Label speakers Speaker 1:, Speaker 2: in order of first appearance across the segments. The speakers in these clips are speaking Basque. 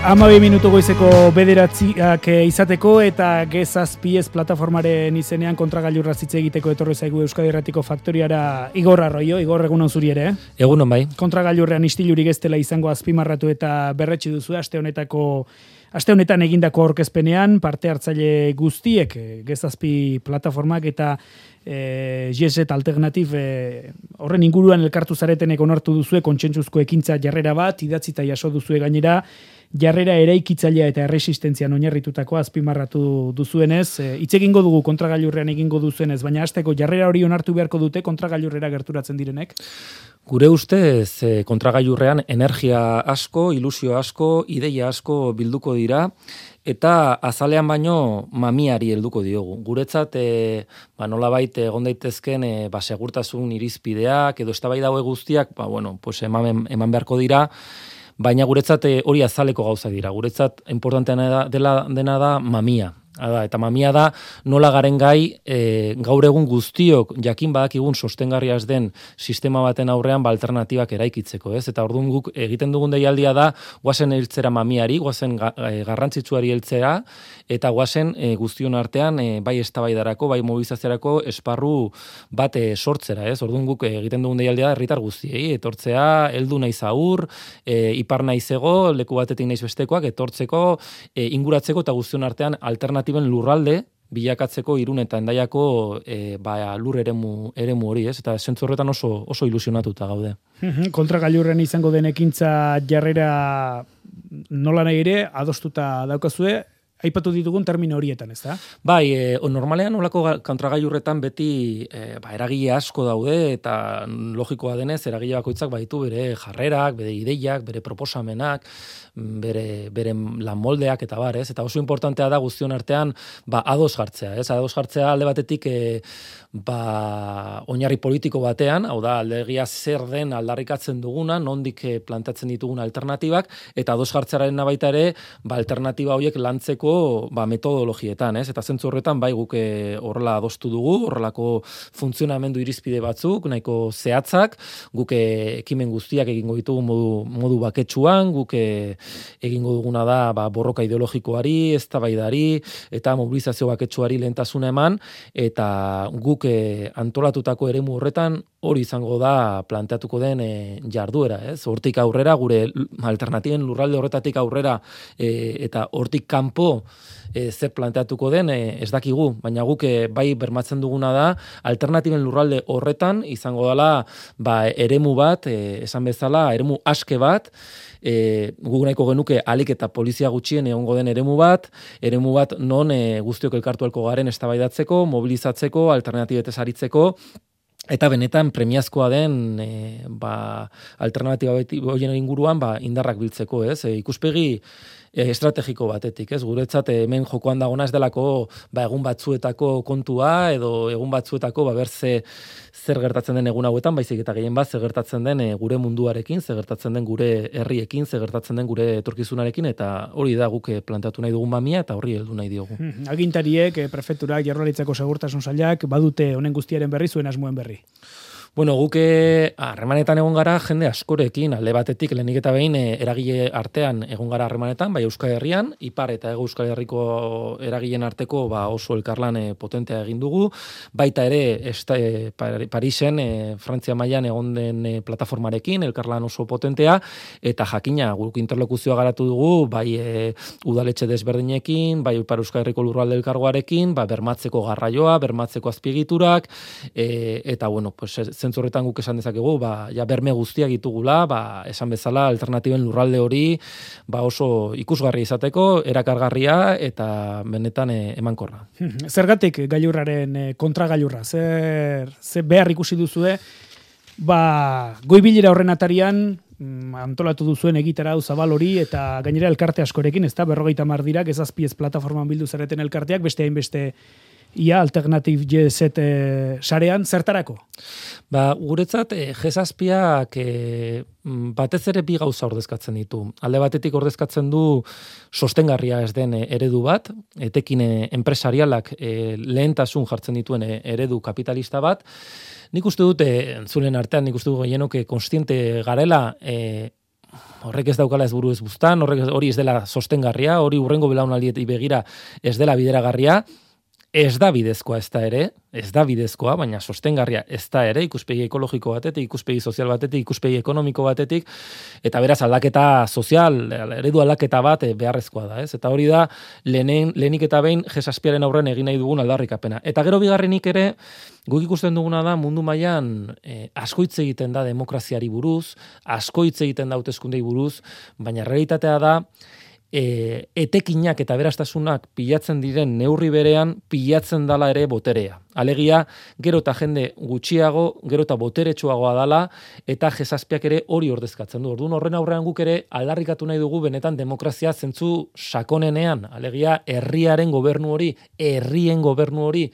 Speaker 1: 12 minutu goizeko bederatziak izateko eta G7 plataformaren izenean kontragailurra hitz egiteko etorri zaigu Euskadi Irratiko Faktoriara Igor Arroio. Igor, egunon zuri ere.
Speaker 2: Egunon bai.
Speaker 1: Kontragailurrean istilurik ez dela izango azpimarratu eta berretsi duzu aste honetan egindako aurkezpenean parte hartzaile guztiek G7 plataformak eta G7 Alternative horren inguruan elkartu zaretenek onartu duzue kontsentsuzko ekintza jarrera bat, idatzita jaso duzue gainera, jarrera eraikitzailea eta erresistentzian oinarritutako azpimarratu duzuenez, hitz egingo dugu kontragailurrean egingo duzuenez, baina hasteko jarrera hori onartu beharko dute kontragailurrera gerturatzen direnek?
Speaker 2: Gure ustez kontragailurrean energia asko, ilusio asko, ideia asko bilduko dira, eta azalean baino mamiari helduko diogu. Guretzat nolabait egon daitezken segurtasun irizpideak edo eztabaida hauek guztiak, eman beharko dira. Baina guretzat hori azaleko gauza dira. Guretzat importanteena dena da mamia. Eta mamia da nola garen gai gaur egun guztiok jakin badakigun sostengarria ez den sistema baten aurrean alternatibak eraikitzeko, ez? Eta orduan guk egiten dugun deialdia da goazen heltzera mamiari, goazen garrantzitsuari heltzera eta goazen guztion artean bai eztabaidarako, bai mobilizaziorako esparru bat sortzera, ez? Orduan guk egiten dugun deialdia da herritar guztiei etortzea, heldu naiz aur, ipar naizego, leku batetik naiz bestekoak etortzeko, inguratzeko eta guztion artean alternatiben lurralde bilakatzeko Irun eta Hendaiako lur eremu hori, ez? Eta zentzu horretan oso ilusionatuta gaude.
Speaker 1: Kontragailurren izango den ekintza jarrera nola nahi ere adostuta daukazue, aipatu ditugun termino horietan, ez da?
Speaker 2: Bai, normalean olako kontragailurretan beti eragile asko daude eta logikoa denez eragile bakoitzak baditu bere jarrerak, bere ideiak, bere proposamenak, bere lan moldeak eta bar, ez? Eta oso importantea da guztion artean ados jartzea, ez? Ados jartzea alde batetik oinarri politiko batean, hau da aldegia zer den aldarrikatzen duguna, nondik planteatzen ditugun alternatibak eta ados jartzearen baita ere, alternatiba horiek lantzeko metodologietan, ez? Eta zentzu horretan bai guk horrela adostu dugu, horrelako funtzionamendu irizpide batzuk, nahiko zehatzak, guk ekimen guztiak egingo ditugu modu baketsuan, guk egingo duguna da borroka ideologikoari, eztabaidari eta mobilizazio baketsuari lehentasuna eman, eta guk antolatutako eremu horretan hori izango da planteatuko den jarduera, ez? Hortik aurrera, gure alternatiben lurralde horretatik aurrera eta hortik kanpo zer planteatuko den ez dakigu, baina guk bai bermatzen duguna da alternatiben lurralde horretan izango dela eremu bat, esan bezala, eremu aske bat, guk nahiko genuke alik eta polizia gutxien egongo den eremu bat non guztiok elkartu elko garen eztabaidatzeko, mobilizatzeko, alternatibetez aritzeko, eta benetan premiazkoa den alternatiba horien inguruan indarrak biltzeko, ez? Ikuspegi estrategiko batetik, ez? Guretzat hemen jokoan dagona ez delako egun batzuetako kontua edo egun batzuetako zer gertatzen den egun hauetan, baizik eta gehien bat zer gertatzen den gure munduarekin, zer gertatzen den gure herriekin, zer gertatzen den gure etorkizunarekin, eta hori da guk planteatu nahi dugun mamia eta horri heldu nahi diogu.
Speaker 1: Agintariek, prefekturak, Jaurlaritzako Segurtasun Sailak badute honen guztiaren berri, zuen asmoen berri.
Speaker 2: Bueno, guk harremanetan egon gara jende askorekin, alde batetik lehenik eta behin eragile artean egon gara harremanetan, bai Euskal Herrian, Ipar eta Hego Euskal Herriko eragileen arteko oso elkarlan potentea egin dugu, baita ere Parisen, Frantzia mailan egon den plataformarekin, elkarlan oso potentea, eta jakina guk interlokuzioa garatu dugu, bai udaletxe desberdinekin, bai Ipar Euskal Herriko lurralde elkargoarekin, bermatzeko garraioa, bermatzeko azpiegiturak, eta zentzu horretan guk esan dezakegu, berme guztiak ditugula, esan bezala alternatiben lurralde hori oso ikusgarri izateko, erakargarria eta benetan emankorra.
Speaker 1: Zergatik gailurraren kontragailurra? Zer behar ikusi duzue? Goibilera horren atarian antolatu duzuen egitarau zabal hori eta gainera elkarte askorekin, ez da 50 dira, G7 plataforman bildu zareten elkarteak, beste hainbeste Alternative G7 sarean, zertarako?
Speaker 2: Guretzat, G7ak batez ere bi gauza ordezkatzen ditu. Alde batetik ordezkatzen du sostengarria ez den eredu bat, etekin enpresarialak lehentasun jartzen dituen eredu kapitalista bat. Nik uste dut, zulen artean, nik uste dut gehienok konstiente garela, horrek ez daukala ez buru ez buztan, hori ez dela sostengarria, hori hurrengo belaunaldiei begira ez dela bideragarria, ez da bidezkoa ez da bidezkoa, baina sostengarria ez da ere, ikuspegi ekologiko batetik, ikuspegi sozial batetik, ikuspegi ekonomiko batetik, eta beraz aldaketa sozial, eredu aldaketa bat beharrezkoa da, ez? Eta hori da, lehenik eta behin G7-aren aurren egin nahi dugun aldarrikapena. Eta gero bigarrenik ere, guk ikusten duguna da, mundu mailan asko hitz egiten da demokraziari buruz, asko hitz egiten da hauteskundei buruz, baina realitatea da, etekinak eta berastasunak pilatzen diren neurri berean pilatzen dala ere boterea. Alegia, gero eta jende gutxiago, gero eta boteretsuagoa dala, eta G7ak ere hori ordezkatzen du. Orduan horren aurrean guk ere aldarrikatu nahi dugu benetan demokrazia zentzu sakonenean. Alegia, herrien gobernu hori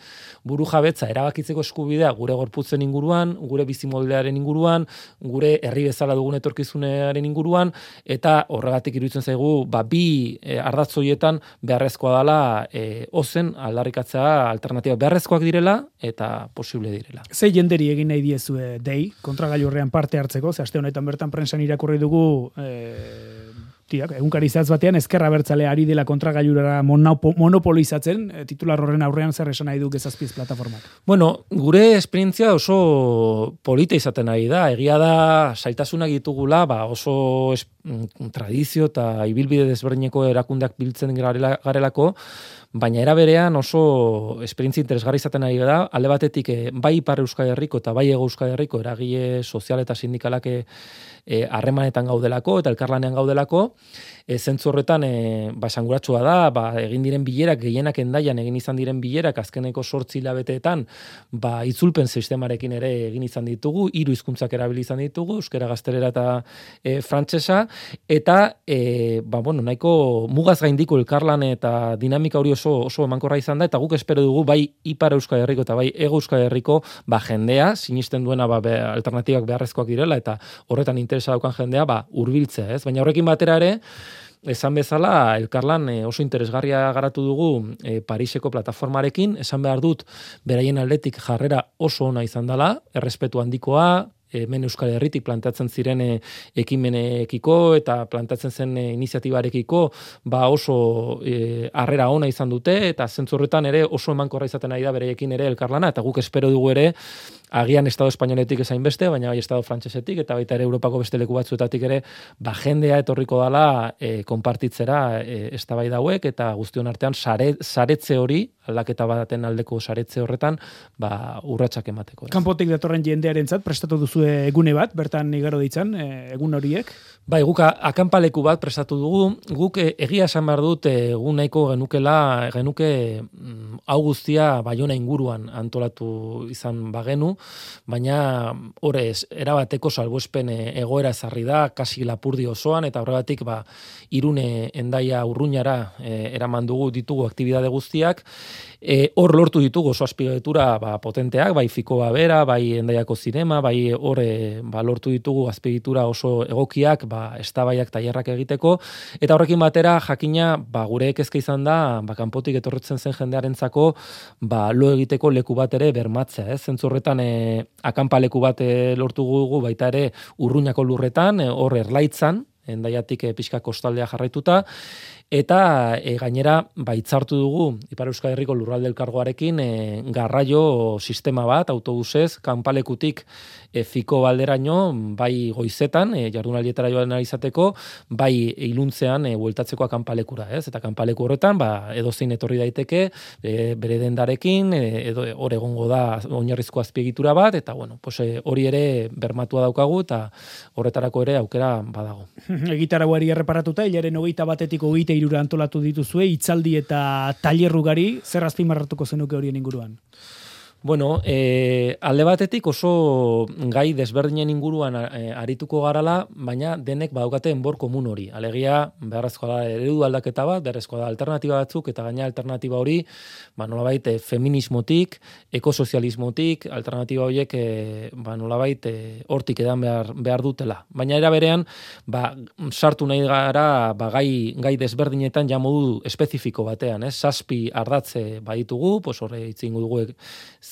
Speaker 2: burujabetza erabakitzeko eskubidea gure gorputzen inguruan, gure bizimoldearen inguruan, gure herri bezala dugun etorkizunaren inguruan, eta horregatik iruditzen zaigu, bi ardatzoietan beharrezkoa dela ozen aldarrikatzea alternatiba beharrezkoak direla eta posible direla.
Speaker 1: Ze jenderi egin nahi diezue dei, kontragailurrean parte hartzeko, ze aste honetan bertan prensan irakurri dugu egunkari zehatz batean ezkerra abertzale ari dela kontragailurara monopolizatzen, titular horren aurrean zer esan nahi du Gezazpiz plataformak.
Speaker 2: Bueno, gure esperientzia oso polita izaten ari da, egia da zailtasunak ditugula, oso tradizio eta ibilbide desberdineko erakundeak biltzen garelako, baina era berean oso esperientzia interesgarri izaten ari da, alde batetik bai Ipar Euskal Herriko eta bai Hego Euskal Herriko eragile sozial eta sindikalak harremanetan gaudelako eta elkarlanean gaudelako, zentzu horretan esanguratsua da, egin diren bilerak, gehienak Hendaian egin izan diren bilerak, azkeneko 8 hilabeteetan, itzulpen sistemarekin ere egin izan ditugu, 3 hizkuntzak erabili izan ditugu, euskera, gaztelera eta frantsesa, eta nahiko mugaz gaindiko elkarlan eta dinamika hori oso emankorra izan da, eta guk espero dugu bai Ipar Euskal Herriko eta bai Hego Euskal Herriko jendea, sinisten duena alternatibak beharrezkoak direla, eta horretan interesa daukan jendea hurbiltzea, ez? Baina horrekin batera ere, esan bezala, elkarlan oso interesgarria garatu dugu Pariseko plataformarekin, esan behar dut, beraien aldetik jarrera oso ona izan dela, errespetu handikoa, hemen Euskal Herritik planteatzen ziren ekimenekiko eta planteatzen zen iniziatibarekiko oso harrera ona izan dute, eta zentzu horretan ere oso emankorra izaten ari da bereiekin ere elkarlana, eta guk espero dugu ere agian Estado espainoletik ezain beste, baina bai Estado frantsesetik eta baita ere Europako beste leku batzuetatik ere jendea etorriko dala konpartitzera eztabaida hauek, eta guztion artean saretze hori, aldaketa baten aldeko saretze horretan urratsak emateko.
Speaker 1: Kanpotik datorren jendearentzat prestatu duzu egune bat, bertan igaro ditzan, egun horiek?
Speaker 2: Bai, guk akanpaleku bat prestatu dugu, guk egia esan behar dut egun nahiko genuke hau guztia Baiona inguruan antolatu izan bagenu, baina horrez, erabateko salbuespen egoera ezarri da, kasi Lapurdi osoan, eta horregatik Irune, Hendaia, Urruñara eraman ditugu aktibitate guztiak, hor lortu ditugu oso azpiegitura potenteak, bai Fikoa bera, bai Hendaiako zinema, bai hor lortu ditugu azpiegitura oso egokiak, eztabaidak tailerrak egiteko, eta horrekin batera jakina gure kezka izan da, kanpotik etorretzen zen jendearentzako lo egiteko leku bat ere bermatzea, ez? Zentzu horretan akanpaleku bat lortu dugu baita ere Urruñako lurretan, hor Erlaitzan, Hendaiatik pixka kostaldea jarraituta, eta gainera hitzartu dugu Ipar Euskal Herriko lurralde elkargoarekin garraio sistema bat, autobusez, kanpalekutik Fiko balderaino, bai goizetan, jardunaldietara joan izateko, bai iluntzean bueltatzeko kanpalekura, ez? Eta kanpaleku horretan, edozein etorri daiteke, bere dendarekin, edo hor egongo da oinarrizko azpiegitura bat, eta hori ere bermatua daukagu, eta horretarako ere aukera badago.
Speaker 1: Egitarauari erreparatuta, hilaren 21-etik 23 antolatu dituzue, hitzaldi eta tailer ugari, zer azpimarratuko zenuke horien inguruan?
Speaker 2: Bueno, alde batetik oso gai desberdinen inguruan arituko garala, baina denek badaukate enbor komun hori. Alegia, beharrezkoa da eredu aldaketa bat, beharrezkoa da alternatiba batzuk, eta gaina alternatiba hori, nolabait feminismotik, ekosozialismotik, alternatiba horiek nolabait hortik edan behar dutela. Baina era berean, sartu nahi gara gai desberdinetan ja modu espezifiko batean, 7 ardatze baditugu, horre itzingo dugu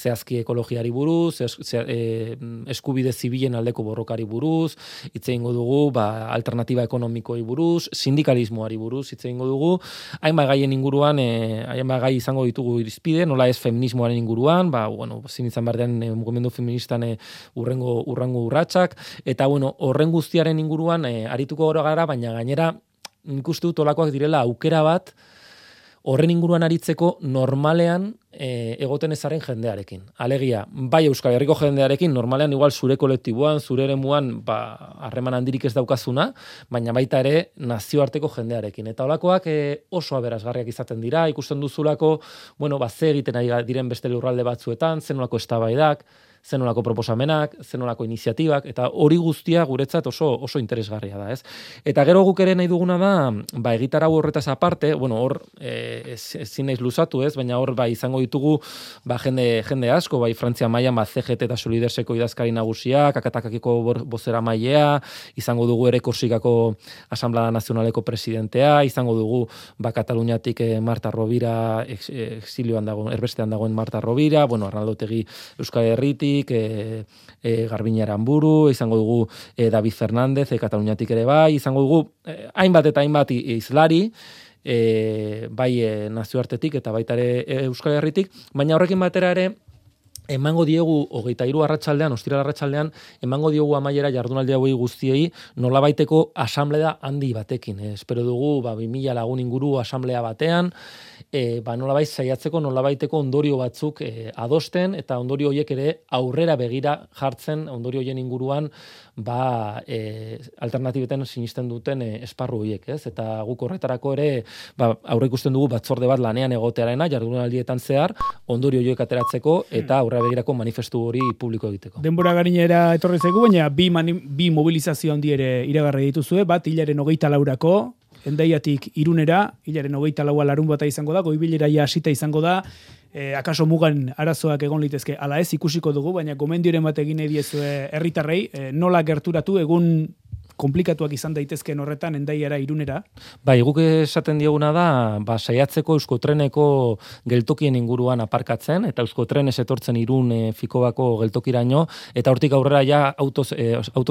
Speaker 2: zehazki ekologiari buruz, eskubide zibilen aldeko borrokari buruz, hitz egingo dugu, alternatiba ekonomikoi buruz, sindikalismoari buruz, hitz egingo dugu, hainbat gaien inguruan, hainbat gai izango ditugu irizpide, nola ez feminismoaren inguruan, zin izan bardean mugimendu feministan urrengo urratsak, eta horren guztiaren inguruan arituko gara, baina gainera nik uste dut olakoak direla aukera bat horren inguruan aritzeko normalean egoten ezaren jendearekin. Alegia, bai Euskal Herriko jendearekin, normalean igual zure kolektiboan, zure eremuan, harreman handirik ez daukazuna, baina baita ere nazioarteko jendearekin. Eta holakoak oso aberasgarriak izaten dira, ikusten duzulako, ze egiten ari diren beste lurralde batzuetan, zenolako eztabaidak, zenolako proposamenak, zenolako iniziatibak, eta hori guztia guretzat oso interesgarria da, ez? Eta gero guk ere nahi duguna da, egitarau horretaz aparte, hor ezin naiz luzatu, ez? Baina hor izango ditugu jende asko, Frantzia mailan CGT eta Solidarseko idazkari nagusiak, Akatakakiko bozera mailea, izango dugu ere Korsikako Asamblea Nazionaleko presidentea, izango dugu Kataluniatik Marta Rovira, exilioan dagoen, erbestean dagoen Marta Rovira, Arnaldo Otegi Euskal Herritik, Garbiñe Aranburu, izango dugu David Fernández, Kataluniatik ere bai, izango dugu hainbat eta hainbat izlari, bai nazioartetik eta baita ere Euskal Herritik, baina horrekin batera ere emango diegu 23 arratsaldean, ostiral arratsaldean, emango diogu amaiera jardunaldi hauei guztiei nolabaiteko asamblea handi batekin. Espero dugu 2000 lagun inguru asamblea batean, nolabait saiatzeko nolabaiteko ondorio batzuk adosten eta ondorio horiek ere aurrera begira jartzen, ondorio horien inguruan alternatibeten sinisten duten esparru horiek, ez? Eta guk horretarako ere aurreikusten dugu batzorde bat lanean egotearena jardunaldietan zehar ondorio horiek ateratzeko eta aurrera begirako manifestu hori publiko egiteko.
Speaker 1: Denbora garinera etorri zaigu, baina bi mobilizazio handi ere iragarri dituzue, bat hilaren 24rako, Hendaiatik Irunera, hilaren 24a larunbata izango da, goibilera hasita izango da, akaso mugan arazoak egon litezke, ala ez ikusiko dugu, baina gomendioren bat egin nahi diezue herritarrei, nola gerturatu egun komplikatuak izan daitezkeen horretan Hendaiara Irunera.
Speaker 2: Guk esaten dioguna da, saiatzeko Euskotreneko geltokien inguruan aparkatzen, eta Euskotrenez etortzen Irun Fikobako geltokiraino, eta hortik aurrera ja autoz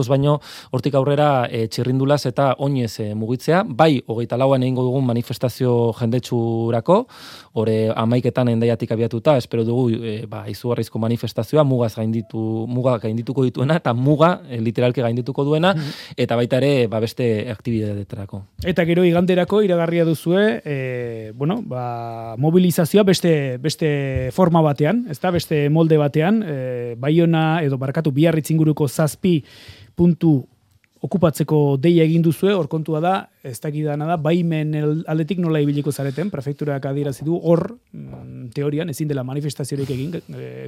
Speaker 2: baino, hortik aurrera txirrindulaz eta oinez mugitzea, 24an egingo dugun manifestazio jendetsurako, hore 11etan Hendaiatik abiatuta, espero dugu izugarrizko manifestazioa, muga gaindituko dituena, eta muga literalki gaindituko duena, eta baita ere beste aktibidadeetarako.
Speaker 1: Eta gero iganderako iragarria duzue, mobilizazioa beste forma batean, ezta beste molde batean, Baiona edo Biarritz inguruko 7 puntu okupatzeko deia egin duzue, hor kontua da, ez dakidana da, baimen aldetik nola ibiliko zareten, prefekturak adierazi du, hor, teorian, ezin dela manifestaziorik egin,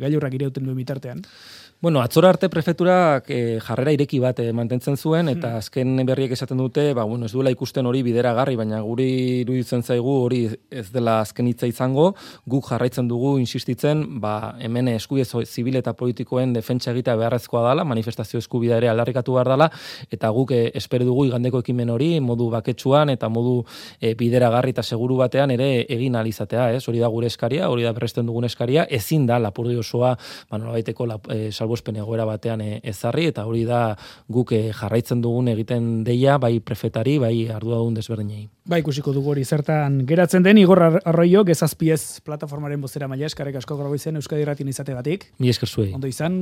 Speaker 1: gailurrak irauten duen bitartean.
Speaker 2: Atzora arte prefekturak jarrera ireki bat mantentzen zuen, eta azken berriek esaten dute, ez duela ikusten hori bideragarri, baina guri iruditzen zaigu hori ez dela azken hitza izango, guk jarraitzen dugu insistitzen, hemen eskubide zibil eta politikoen defentsa egitea beharrezkoa dela, manifestazio eskubidea ere aldarrikatu behar dela, eta guk espero dugu igandeko ekimen hori, modu baketsuan eta modu bideragarri eta seguru batean ere egin alizatea, ez? Hori da gure eskaria, hori da berresten dugun eskaria, ezin da lapurdi osoa, nolabaiteko salbuespen egoera batean ezarri, eta hori da guk jarraitzen dugun egiten deia, bai prefetari, bai arduradun desberdinei.
Speaker 1: Ikusiko dugu hori zertan geratzen den, Igor Arroio, Gezazpiez plataformaren bozera maila, eskarrik asko Graboizen Euskadi Irratien izategatik.
Speaker 2: Mi esker zuei.
Speaker 1: Ondo izan.